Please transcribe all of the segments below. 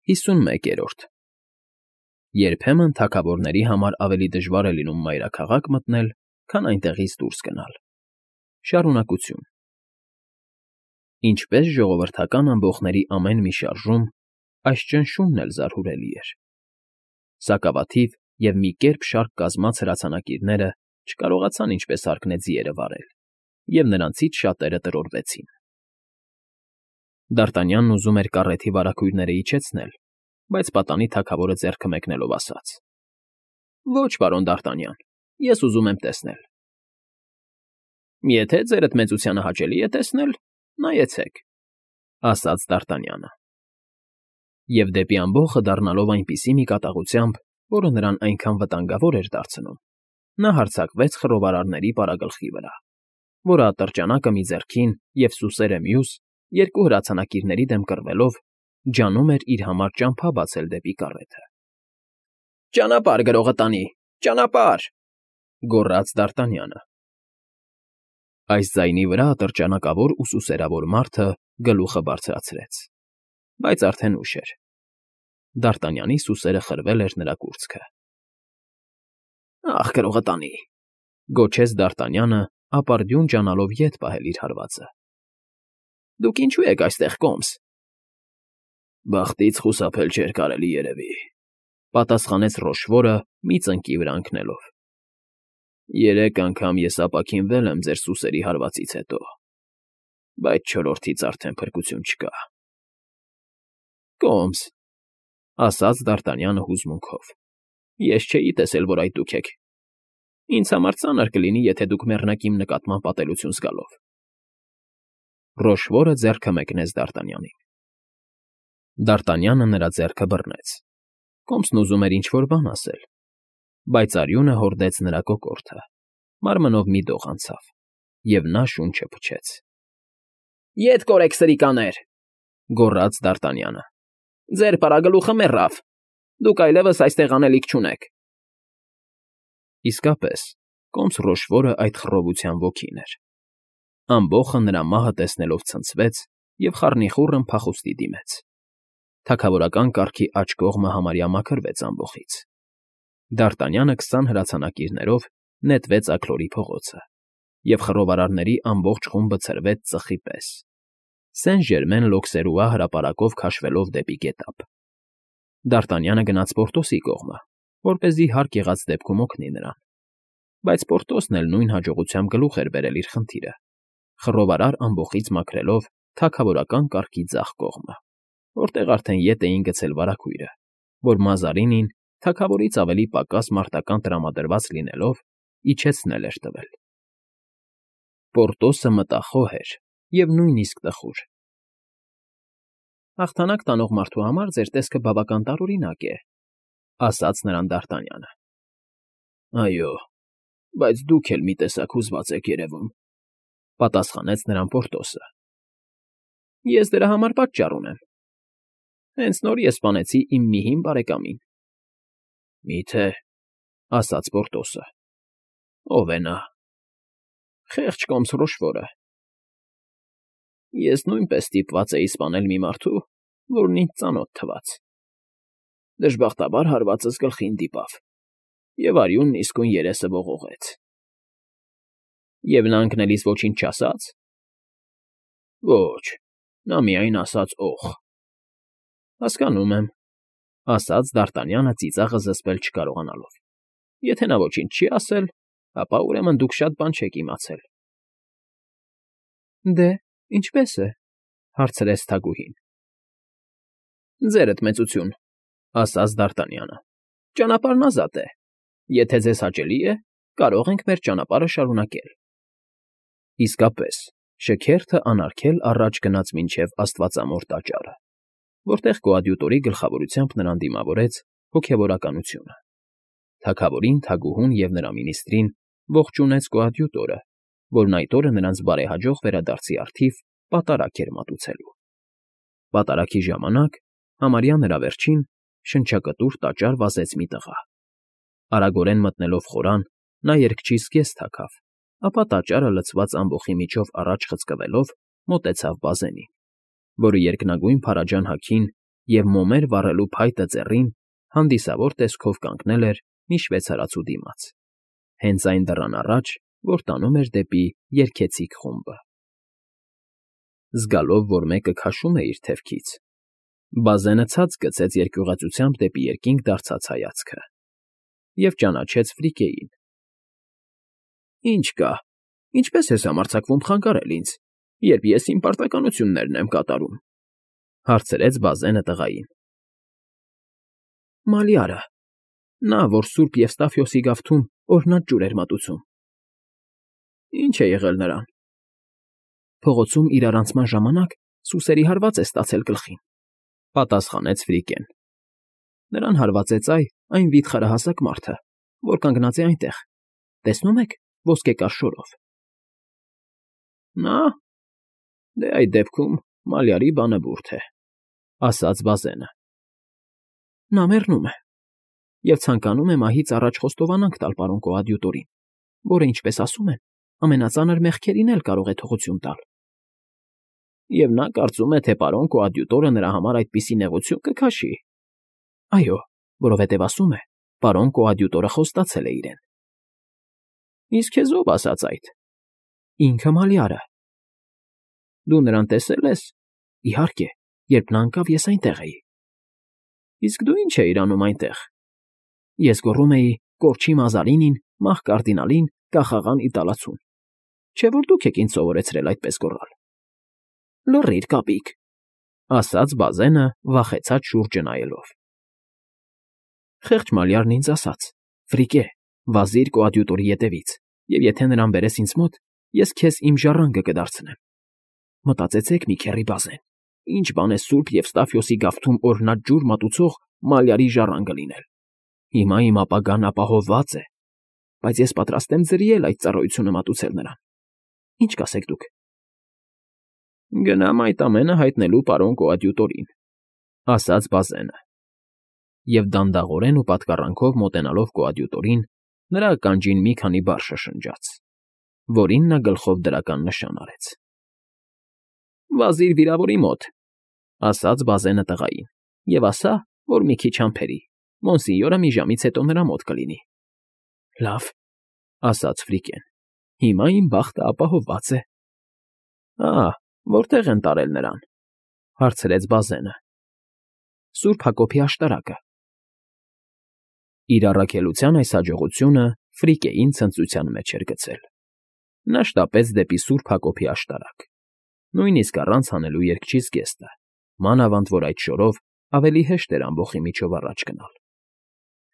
51-րդ Երբեմն թագավորների համար ավելի դժվար է լինում մայրաքաղաք մտնել, քան այնտեղից դուրս գնալ։ Շարունակություն Ինչպես ժողովրդական ամբոխների ամեն մի շարժում, այս ճնշումն էլ զարհուրելի էր։ Սակավաթիվ և մի կերպ շարք կազմած հրացանակիրները չկարողացան ինչպես հարկն է ձիերը վարել, և նրանցից շատերը տրորվեցին։ Դարտանյանն ուզում էր կառեթի վարագույրները իջեցնել, բայց պատանի թագավորը ձեռքը մեկնելով ասաց. Ոչ, պարոն Դարտանյան, ես ուզում եմ տեսնել։ Եթե ձերդ մեծությանը հաճելի է տեսնել, նայեցեք, ասաց Դարտանյանը։ Եվ դեպի ամբոխը դառնալով այնպիսի մի կատաղությամբ, որը նրան այնքան վտանգավոր էր դարձնում, նա հարձակվեց խռովարարների պարագլխի վրա, որը ատրճանակը մի ձեռքին և սուսերը մյուս, երկու հրացանակիրների դեմ կռվելով, ջանում էր իր համար ճամփա բացել դեպի կառեթը։ Ճանապարհ, գրողը տանի, ճանապարհ, գոռաց Դարտանյանը։ Այս ձայնի վրա ատրճանակավոր ու սուսերավոր մարդը գլուխը բարձրացրեց, բայց արդեն ուշ էր։ Դարտանյանի սուսերը խրվել էր նրա կուրծքը։ Ախ, գրողը տանի, գոչեց Դարտանյանը, ապարդյուն ջանալով ետ պահել իր հարվածը։ Դուք ինչու եք այստեղ, կոմս։ Բախտից խուսափել չէր կարելի, երևի, պատասխանեց Ռոշվորը մի ծնկի վրա ընկնելով։ 3 անգամ ես ապաքինվել եմ ձեր սուսերի հարվածից հետո, բայց չորրորդից արդեն փրկություն չկա։ Կոմս, ասաց Դարտանյանը հուզմունքով, ես չէի տեսել, որ այդ դուք եք։ Ինձ համար ծանր կլինի, եթե դուք մեռնեք իմ նկատմամբ ատելություն զգալով։ Ռոշվորը ձեռքը մեկնեց Դարտանյանին։ Դարտանյանը նրա ձեռքը բռնեց։ Կոմսն ուզում էր ինչ-որ բան ասել, բայց արյունը հորդեց նրա կոկորդը, մարմնով մի դող անցավ, և նա շունչը փչեց։ Ետ կորեք, սրիկաներ, գոռաց Դարտանյանը։ Ձեր պարագլուխը մեռավ, դուք այլևս այստեղ անելիք չունեք։ Իսկապես, կոմս Ռոշվորը այդ խռովության ոգին էր։ Ամբոխը նրա մահը տեսնելով ցնցվեց և խառնիխուռն փախուստի դիմեց։ Թագավորական կարգի աջ կողմը համարյա մաքրվեց ամբոխից։ Դարտանյանը 20 հրացանակիրներով նետվեց Աքլորի փողոցը, և խռովարարների ամբողջ խումբը ցրվեց ծխի պես, Սեն֊Ժերմեն Լոքսերուա հրապարակով քաշվելով դեպի գետափ։ Դարտանյանը գնաց Պորտոսի կողմը, որպեսզի հարկ եղած դեպքում օգնի նրան, բայց Պորտոսն էլ նույն հաջողությամբ գլուխ էր բերել իր խնդիրը, խռովարար ամբոխից մաքրելով թագավորական կարգի ձախ կողմը, որտեղ արդեն ետ էին գցել վարագույրը, որ Մազարինին, թագավորից ավելի պակաս մարտական տրամադրված լինելով, իջեցնել էր տվել։ Պորտոսը մտախոհ էր և նույնիսկ տխուր։ Հաղթանակ տանող մարդու համար ձեր տեսքը բավական տարօրինակ է, ասաց նրան Դարտանյանը։ Այո, բայց դուք էլ մի տեսակ հուզված եք երևում, պատասխանեց նրան Պորտոսը։ Ես դրա համար պատճառ ունեմ։ Հենց նոր ես սպանեցի իմ մի հին բարեկամին։ Մի՞թե, ասաց Պորտոսը։ Ո՞վ է նա։ Խեղճ կոմս Ռոշվորը։ Ես նույնպես ստիպված էի սպանել մի մարդու, որն ինձ ծանոթ թվաց։ Դժբախտաբար հարվածս գլխին դիպավ, և արյունն իսկույն երեսը ողողեց։ Եվ նա ընկնելիս ոչինչ չասա՞ց։ Ոչ, նա միայն ասաց օխ։ Հասկանում եմ, ասաց Դարտանյանը ծիծաղը զսպել չկարողանալով։ Եթե նա ոչինչ չի ասել, ապա ուրեմն դուք շատ բան չեք իմացել։ Դե, ինչպե՞ս է, հարցրեց թագուհին։ Ձերդ մեծություն, ասաց Դարտանյանը, ճանապարհն ազատ է։ Եթե ձեզ հաճելի է, կարող ենք մեր ճանապարհը շարունակել։ Իսկապես, շքերթը անարգել առաջ գնաց մինչև Աստվածամոր տաճարը, որտեղ կոադյուտորի գլխավորությամբ նրան դիմավորեց հոգևորականությունը։ Թագավորին, թագուհուն և նրա մինիստրին ողջունեց կոադյուտորը, որն այդ օրը նրանց բարեհաջող վերադարձի առթիվ պատարագ էր մատուցելու։ Պատարագի ժամանակ, համարյա նրա վերջին, շնչակտուր տաճար վազեց մի տղա։ Արագորեն մտնելով խորան, նա երգչի զգեստ թաքավ, ապա տաճարը լցված ամբոխի միջով առաջ խցկվելով մոտեցավ բազենին, որը երկնագույն փարաջան հագին և մոմեր վառելու փայտը ձեռին հանդիսավոր տեսքով կանգնել էր մի շվեյցարացու դիմաց, հենց այն դռան առաջ, որ տանում էր դեպի երգեցիկ խումբը։ Զգալով, որ մեկը քաշում է իր թևքից, Բազենը ցած գցեց երկյուղածությամբ դեպի երկինք դարձած հայացքը և ճանաչեց Ֆրիկեին։ «Ինչ կա, ինչպես ես համարձակվում խանգարել ինձ, երբ ես իմ պարտականություններն եմ կատարում», հարցրեց Բազենը տղային։ «Մալյարը, նա, որ Սուրբ Եվստաֆիոսի գավթում օրհնած ջուր էր մատուցում»։ «Ինչ է եղել նրան»։ «Փողոցում իրար անցման ժամանակ սուսերի հարված է ստացել գլխին», պատասխանեց Ֆրիկեն։ «Նրան հարվածեց այն վիթխարահասակ մարդը, որ կանգնած է այնտեղ, տեսնում եք, ոսկեկար շորով»։ «Նա… Դե այդ դեպքում Մալյարի բանը բուրդ է», ասաց Բազենը։ «Նա մեռնում է և ցանկանում է մահից առաջ խոստովանանք տալ պարոն կոադյուտորին, որը, ինչպես ասում են, ամենածանր մեղքերին էլ կարող է թողություն տալ»։ «Եվ նա կարծում է, թե պարոն կոադյուտորը նրա համար այդպիսի նեղություն կքաշի»։ «Այո, որովհետև ասում է, պարոն կոադյուտորը խոստացել է իրեն»։ «Իսկ քեզ ով ասաց այդ»։ «Ինքը Մալյարը»։ «Դու նրան տեսել ես»։ «Իհարկե, երբ նա ընկավ, ես այնտեղ էի»։ «Իսկ դու ինչ էիր անում այնտեղ»։ «Ես գոռում էի կորչի Մազարինին, մահ կարդինալին, կախաղան Իտալացուն։ Չէ՞ որ դուք եք ինձ սովորեցրել այդպես գոռալ»։ «Լռիր, կապիկ», ասաց Բազենը, վախեցած շուրջը նայելով։ «Խեղճ Մալյարն ինձ ասաց. «Ֆրիկե, վազիր կոադյուտորի ետևից, և եթե նրան բերես ինձ մոտ, ես քեզ իմ ժառանգը կդարձնեմ»։ Մտածեցեք մի քեռի Բազեն, ինչ բան է Սուրբ Եվստաֆիոսի գավթում օրհնած ջուր մատուցող Մալյարի ժառանգը լինել։ Հիմա իմ ապագան ապահովված է, բայց ես պատրաստ եմ ձրի էլ այդ ծառայությունը մատուցել նրան։ Ինչ կասեք դուք։ «Գնամ այդ ամենը հայտնելու պարոն կոադյուտորին», ասաց Բազենը։ Եվ դանդաղորեն ու պատկառանքով մոտենալով կոադյուտորին, նրա ականջին մի քանի բառ շշնջաց, որին նա գլխով դրական նշան արեց։ «Վազիր վիրավորի մոտ», ասաց Բազենը տղային, «և ասա, որ մի քիչ համբերի, մոնսինյորը մի ժամից հետո նրա մոտ կլինի»։ «Լավ», ասաց Ֆրիկեն, «հիմա իմ բախտը ապահովված է»։ Որտե՞ղ են տարել նրան», հարցրեց Բազենը։ «Սուրբ Հակոբի աշտարակը»։ Իր առաքելության այս հաջողությունը Ֆրիկեին ցնծության մեջ էր գցել։ Նա շտապեց դեպի Սուրբ Հակոբի աշտարակ, նույնիսկ առանց հանելու երգչի զգեստը, մանավանդ որ այդ շորով ավելի հեշտ էր ամբոխի միջով առաջ գնալ։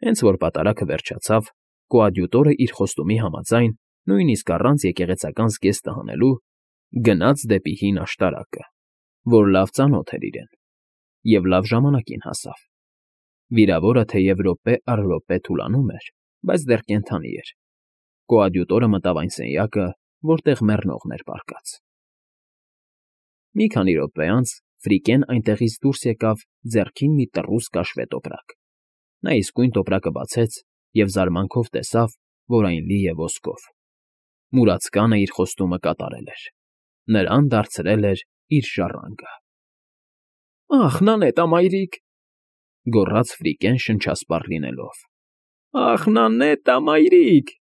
Հենց որ պատարագը վերջացավ, կոադյուտորը իր խոստումի համաձայն, նույնիսկ առանց եկեղեցական զգեստը հանելու, գնաց դեպի հին աշտարակը, որ լավ ծանոթ էր իրեն, և լավ ժամանակին հասավ։ Վիրավորը թեև րոպե առ րոպե թուլանում էր, բայց դեռ կենդանի էր։ Կոադյուտորը մտավ այն սենյակը, որտեղ մեռնողն էր պառկած։ Մի քանի րոպե անց Ֆրիկեն այնտեղից դուրս եկավ ձեռքին մի տռուս կաշվե տոպրակ։ Նա իսկույն տոպրակը բացեց և զարմանքով տեսավ, որ այն լի է ոսկով։ Մուրացկանը իր խոստումը կատարել էր։ Նրան դարձրել էր իր ժառանգը։ «Ախ, Նանետա մայրիկ», գոռաց Ֆրիկեն շնչասպառ լինելով։ «Ախ, Նանետա մայրիկ»։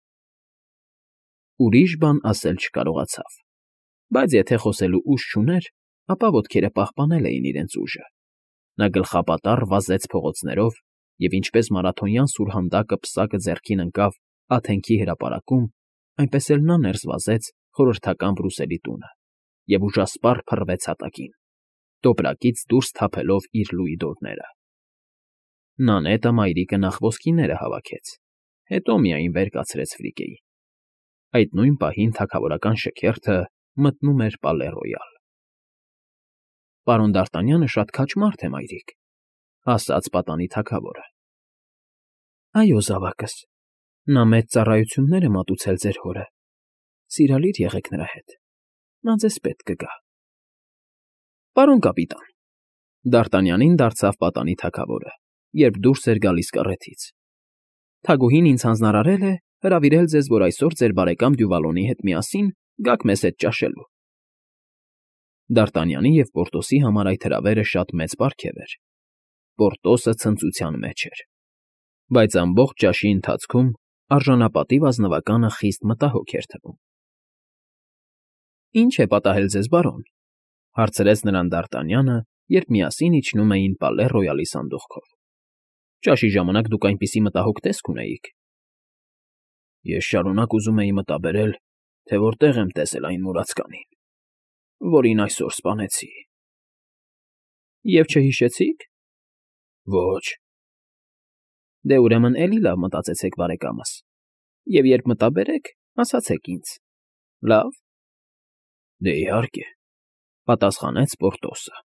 Ուրիշ բան ասել չկարողացավ, բայց եթե խոսելու ուժ չուներ, ապա ոտքերը պահպանել էին իրենց ուժը։ Նա գլխապատառ վազեց փողոցներով և ինչպես մարաթոնյան սուրհանդակը պսակը ձեռքին ընկավ Աթենքի հրապարակում, այնպես էլ նա ներս վազեց խորհրդական Բրուսելի տունը և ուժասպառ փռվեց հատակին, տոպրակից դուրս թափելով իր լուի դորները։ Նանետը մայրիկը նախ ոսկիները հավաքեց, հետո միայն վեր կացրեց Ֆրիկեին։ Այդ նույն պահին թագավորական շքերթը մտնում էր Պալե Ռոյալ։ «Պարոն Դ'Արտանյանը շատ քաջ մարդ է, մայրիկ», ասաց պատանի թագավորը։ «Այո, զավակս, նա մեծ ծառայություններ է մատուցել ձեր հորը։ Սիրալիր եղեք նրա հետ, նա ձեզ պետք կգա»։ «Պարոն կապիտան», Դ'Արտանյանին դարձավ պատանի թագավորը, երբ դուրս էր գալիս կառեթից, «թագուհին ինձ հանձնարարել է հրավիրել ձեզ, որ այսօր ձեր բարեկամ Դյուվալոնի հետ միասին գաք մեզ հետ ճաշելու»։ Դ'Արտանյանի և Պորտոսի համար այդ հրավերը շատ մեծ պարգև էր, Պորտոսը ցնծության մեջ էր, բայց ամբողջ ճաշի ընթացքում արժանապատիվ ազնվականը խիստ մտահոգ էր թվում։ ֊ Ի՞նչ է պատահել ձեզ, բարոն,֊ հարցրեց նրան Դ'Արտանյանը, երբ միասին իջնում էին Պալե Ռոյալի սանդուղքով։ ֊ Ճաշի ժամանակ դուք այնպիսի մտահոգ տեսք ունեիք։ ֊ Ես շարունակ ուզում էի մտաբերել, թե որտեղ եմ տեսել այն մուրացկանին, որին այսօր սպանեցի։ ֊ Եվ չհիշեցի՞ք։ ֊ Ոչ։ ֊ Դե, ուրեմն, էլի լավ մտածեցեք, բարեկամս, և երբ մտաբերեք, ասացեք ինձ, լավ։ ֊ Դե, իհարկե,֊ պատասխանեց Պորտոսը։